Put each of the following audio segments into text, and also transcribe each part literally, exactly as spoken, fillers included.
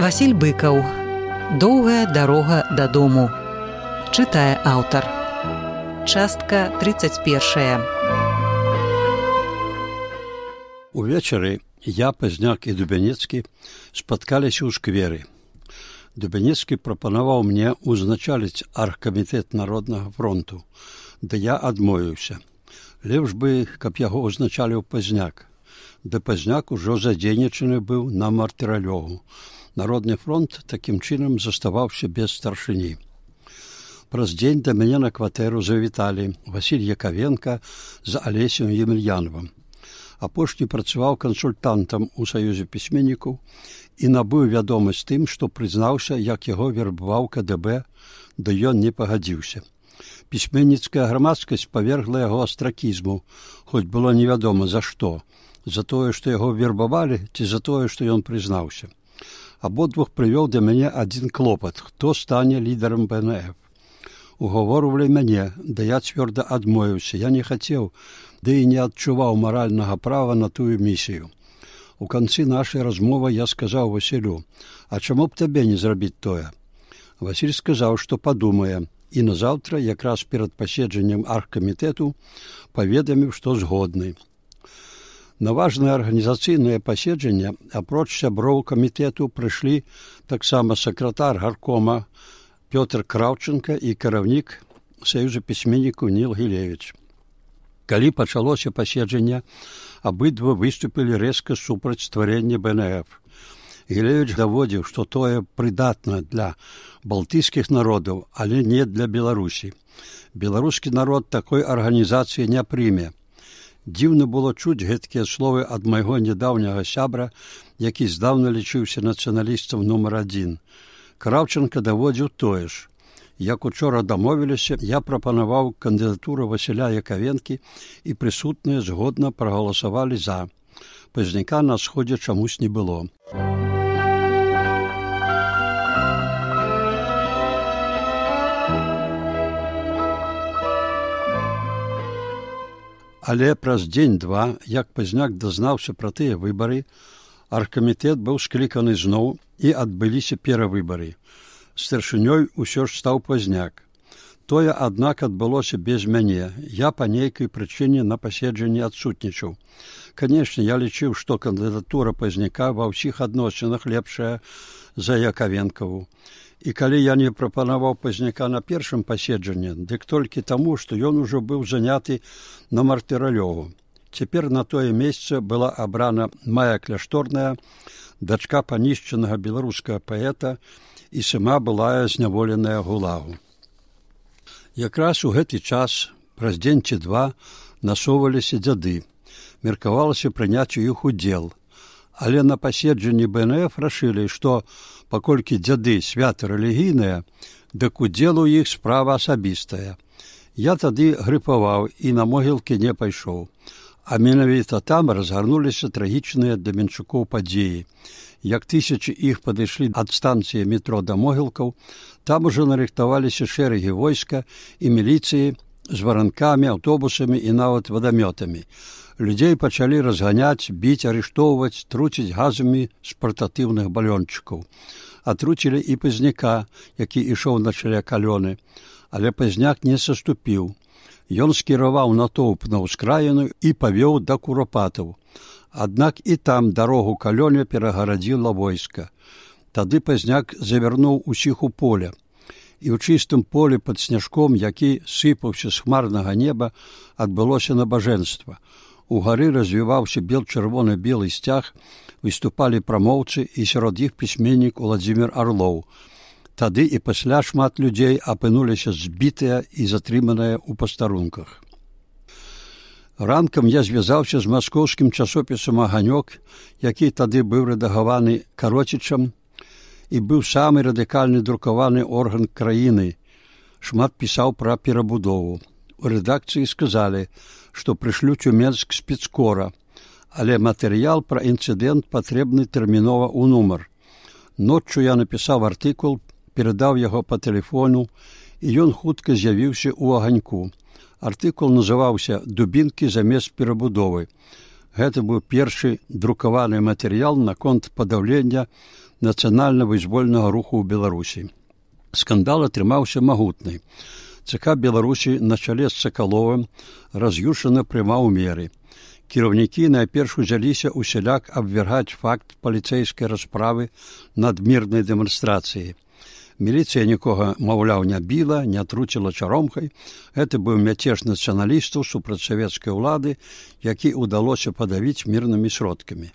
Васіль Быкаў. Доўгая дарога дадому. Чытае аўтар. Частка тридцать першая. Увечары я, Пазняк і Дубянецкі спаткаліся ў скверы. Дубянецкі прапанаваў мне узначаліць аргкамітэт Народнага фронту, да я адмовіўся. Лепш бы, каб яго узначаліў Пазняк. Да Пазняк ужо задзейнічаны быў на мартыралёгу. Народны фронт такім чынам заставаўся без старшыні. Праз дзень да мяне на кватэру завіталі Васіль Якавенка з Алесем Емельяновым. Апошні працаваў кансультантам у Саюзе пісьменнікаў і набыў вядомасць тым, што прызнаўся, як яго вербаваў ка дэ бэ, да ён не пагадзіўся. Пісьменніцкая грамадскасць павергла яго астракізму, хоць было невядома за што, за тое, што яго вербавалі, ці за тое, што ён прызнаўся. Абодвух прывёў да мяне адзін клопат, хто стане лідарам бэ эн эф. Угаворвалі мяне, да я цвёрда адмовіўся, я не хацеў, ды і не адчуваў маральнага права на тую місію. У канцы нашай размовы я сказаў Васілю: «А чаму б табе не зрабіць тое?» Васіль сказаў, што падумае, і назаўтра, якраз перад паседжаннем аргкамітэту, паведаміў, што згодны. На важнае арганізацыйнае паседжанне, апроч сяброў камітэту, прыйшлі таксама сакратар гаркома Пётр Краўченка і кіраўнік Саюза пісьменнікаў Ніл Гілевіч. Калі пачалося паседжанне, абыдва выступілі рэзка супраць стварэння бэ эн эф. Гілевіч даводзіў, што тое прыдатна для балтыйскіх народаў, але не для Беларусі. Беларускі народ такой арганізацыі не прыме. Дзіўна было чуць гэткія словы ад майго нядаўняга сябра, які здаўна лічыўся нацыяналістам нумар адзін. Краўченка даводзіў тое ж. Як учора дамовіліся, я прапанаваў кандыдатуру Васіля Якавенкі, і прысутныя згодна прагаласавалі за. Пазняка на сходзе чамусь не было. Але праз дзень-два, як Пазняк дазнаўся пра тыя выбары, аргкамітэт быў скліканы зноў і адбыліся перавыбары. Старшынёй усё ж стаў Пазняк. Тое, аднак, адбылося без мяне. Я па нейкай прычыне на паседжанні адсутнічаў. Канешне, я лічыў, што кандыдатура Пазняка ва ўсіх адносінах лепшая за Якавенкаву. І калі я не прапанаваў Пазняка на першым паседжанні, дык толькі таму, што ён ужо быў заняты на мартыралёгу. Цяпер на тое месца была абрана Мая Кляшторная, дачка панішчанага беларускага паэта, і сама былая зняволеная гулагу. Якраз у гэты час, праз дзень ці два, насоўваліся дзяды. Меркавалася прыняць у іх удзел. Але на паседжанні бэ эн эф рашылі, што, паколькі дзяды свята рэлігійныя, дык удзел у іх справа асабістая. Я тады грыпаваў і на могілкі не пайшоў. А менавіта там разгарнуліся трагічныя для менчукоў падзеі. Як тысячы іх падышлі ад станцыі метро да могілкаў, там ужо нарыхтаваліся шэрагі войска і міліцыі з варанкамі, аўтобусамі і нават вадамётамі. Людзей пачалі разганяць, біць, арыштоўваць, труціць газамі з партатыўных балёнчыкаў. Атруцілі і Пазняка, які ішоў на чале калёны, але Пазняк не саступіў. Ён скіраваў натоўп на ўскраіну і павёў да Курапатаў. Аднак і там дарогу калёне перагарадзіла войска. Тады Пазняк завярнуў усіх у поле. І ў чыстым полі пад сняжком, які сыпаўся з хмарнага неба, адбылося набажэнства. Угары развіваўся бел-чырвона-белы сцяг, выступалі прамоўцы, і сярод іх пісьменнік Уладзімір Арлоў. Тады і пасля шмат людзей апынуліся збітыя і затрыманыя ў пастарунках. Ранкам я звязаўся з маскоўскім часопісам «Аганёк», які тады быў рэдагаваны Кароцічам і быў самы радыкальны друкаваны орган краіны. Шмат пісаў пра перабудову. У рэдакцыі сказалі, што прышлюць у Менск спецкора, але матэрыял пра інцыдэнт патрэбны тэрмінова ў нумар. Ноччу я напісаў артыкул, перадаў яго па тэлефону, і ён хутка з'явіўся ў «Аганьку». Артыкул называўся «Дубінкі замест перабудовы». Гэта быў першы друкаваны матэрыял наконт падаўлення нацыянальна-вызвольнага руху ў Беларусі. Скандал атрымаўся магутны. ЦК Беларусі на чале з Сакаловым раз'юшана прымаў меры. Кіраўнікі найперш узяліся усяляк абвяргаць факт паліцэйскай расправы над мірнай дэманстрацыяй. Міліцыя нікога, маўляў, не біла, не труціла чаромкай. Гэта быў мяцеж нацыяналістаў супраць савецкай улады, які ўдалося падавіць мірнымі сродкамі.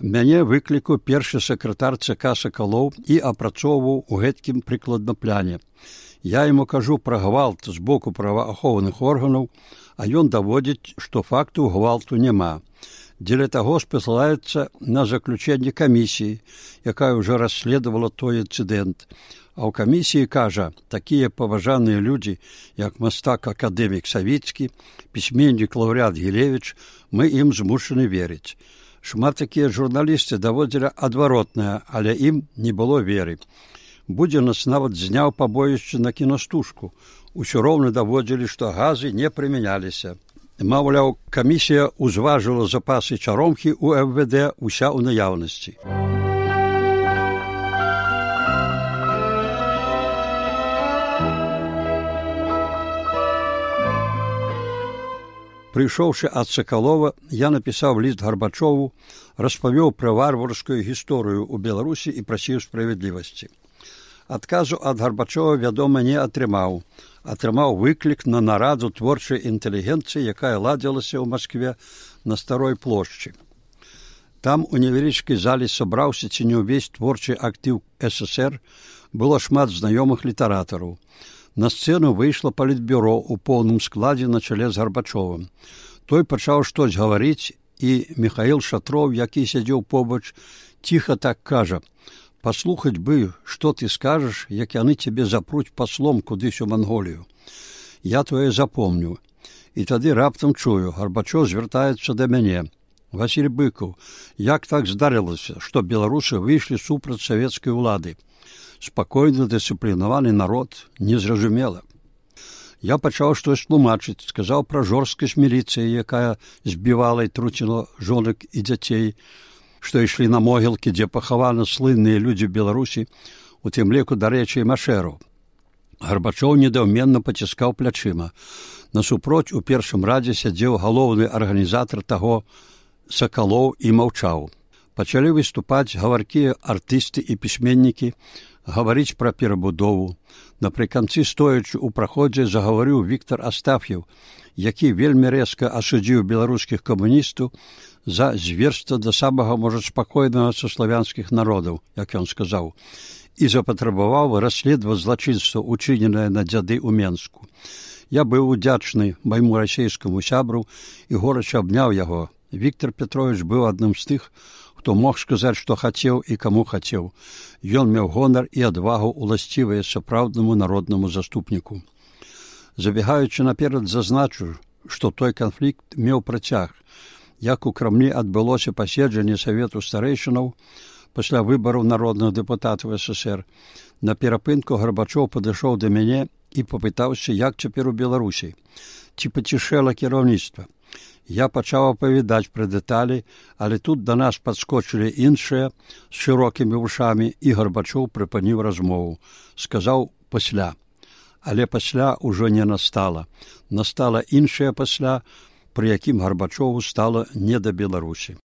Мяне выклікаў першы сакратар ЦК Сакалоў і апрацоўваў у гэткім прыкладна пляне. Я яму кажу пра гвалт з боку праваахоўных органаў, а ён даводзіць, што факту гвалту няма. Дзеля таго спасылаецца на заключэнне камісіі, якая ўжо расследавала той інцыдэнт. А ў камісіі кажа, такія паважаныя людзі, як мастак-акадэмік Савіцкі, пісьменнік лаўрэат Гілевіч, мы ім змушаны верыць. Шмат такія журналісты даводзілі адваротнае, але ім не было веры. Будзе нас нават зняў пабоішча на кінастужку. Усё роўна даводзілі, што газы не прымяняліся. Маўляў, камісія ўзважыла запасы чаромхі ў эф вэ дэ уся ў наяўнасці. Прыйшоўшы ад Сакалова, я напісаў ліст Гарбачову, распавёў пра варварскую гісторыю ў Беларусі і прасіў справядлівасці. Адказу ад Гарбачова, вядома, не атрымаў. Атрымаў выклік на нараду творчай інтэлігенцыі, якая ладзілася ў Маскве на Старой плошчы. Там у невялічкай залі сабраўся ці не ўвесь творчы актыў эс эс ер, было шмат знаёмых літаратараў. На сцэну выйшла палітбюро ў поўным складзе на чале з Гарбачовым. Той пачаў штось гаварыць, і Міхаіл Шатроў, які сядзеў побач, ціха так кажа: «Паслухаць бы, што ты скажаш, як яны цябе запруць паслом кудысь у Манголію». Я тое запомню. І тады раптам чую, Гарбачоў звяртаецца да мяне: «Васіль Быкаў, як так здарылася, што беларусы выйшлі супраць савецкай улады? Спакойны, дысцыплінаваны народ, незразумела». Я пачаў штось тлумачыць, сказаў пра жорсткасць міліцыі, якая збівала і труціла жонак і дзяцей, што ішлі на могілкі, дзе пахаваны слынныя людзі Беларусі, у тым ліку, дарэчы, і машэраў. Гарбачоў недаўменна паціскаў плячыма. Насупроць у першым радзе сядзеў галоўны арганізатар таго Сакалоў і маўчаў. Пачалі выступаць гаваркія артысты і пісьменнікі, гаварыць пра перабудову. Напрыканцы, стоячы ў праходзе, загаварыў Віктар Астаф'еў, які вельмі рэзка асудзіў беларускіх камуністаў за зверства да самага, можа, спакойнага са славянскіх народаў, як ён сказаў, і запатрабаваў расследаваць злачынства, учыненае на дзяды ў Менску. Я быў удзячны майму расейскаму сябру і горача абняў яго. Віктор Петрович быў адным з тых, хто мог сказаць, што хацеў і каму хацеў. Ён меў гонар і адвагу, уласцівыя сапраўднаму народнаму заступніку. Забегаючы наперад, зазначу, што той канфлікт меў працяг. Як у Крамлі адбылося паседжанне Савету старэйшынаў пасля выбараў народных дэпутатаў эс эс ер, на перапынку Гарбачоў падышоў да мяне і папытаўся, як цяпер у Беларусі, ці пацішэла кіраўніцтва. Я пачаў апавядаць пра дэталі, але тут да нас падскочылі іншыя з шырокімі вушамі, і Гарбачоў прыпыніў размову. Сказаў пасля. Але пасля ўжо не настала. Настала іншае пасля, пры якім Гарбачову стала не да Беларусі.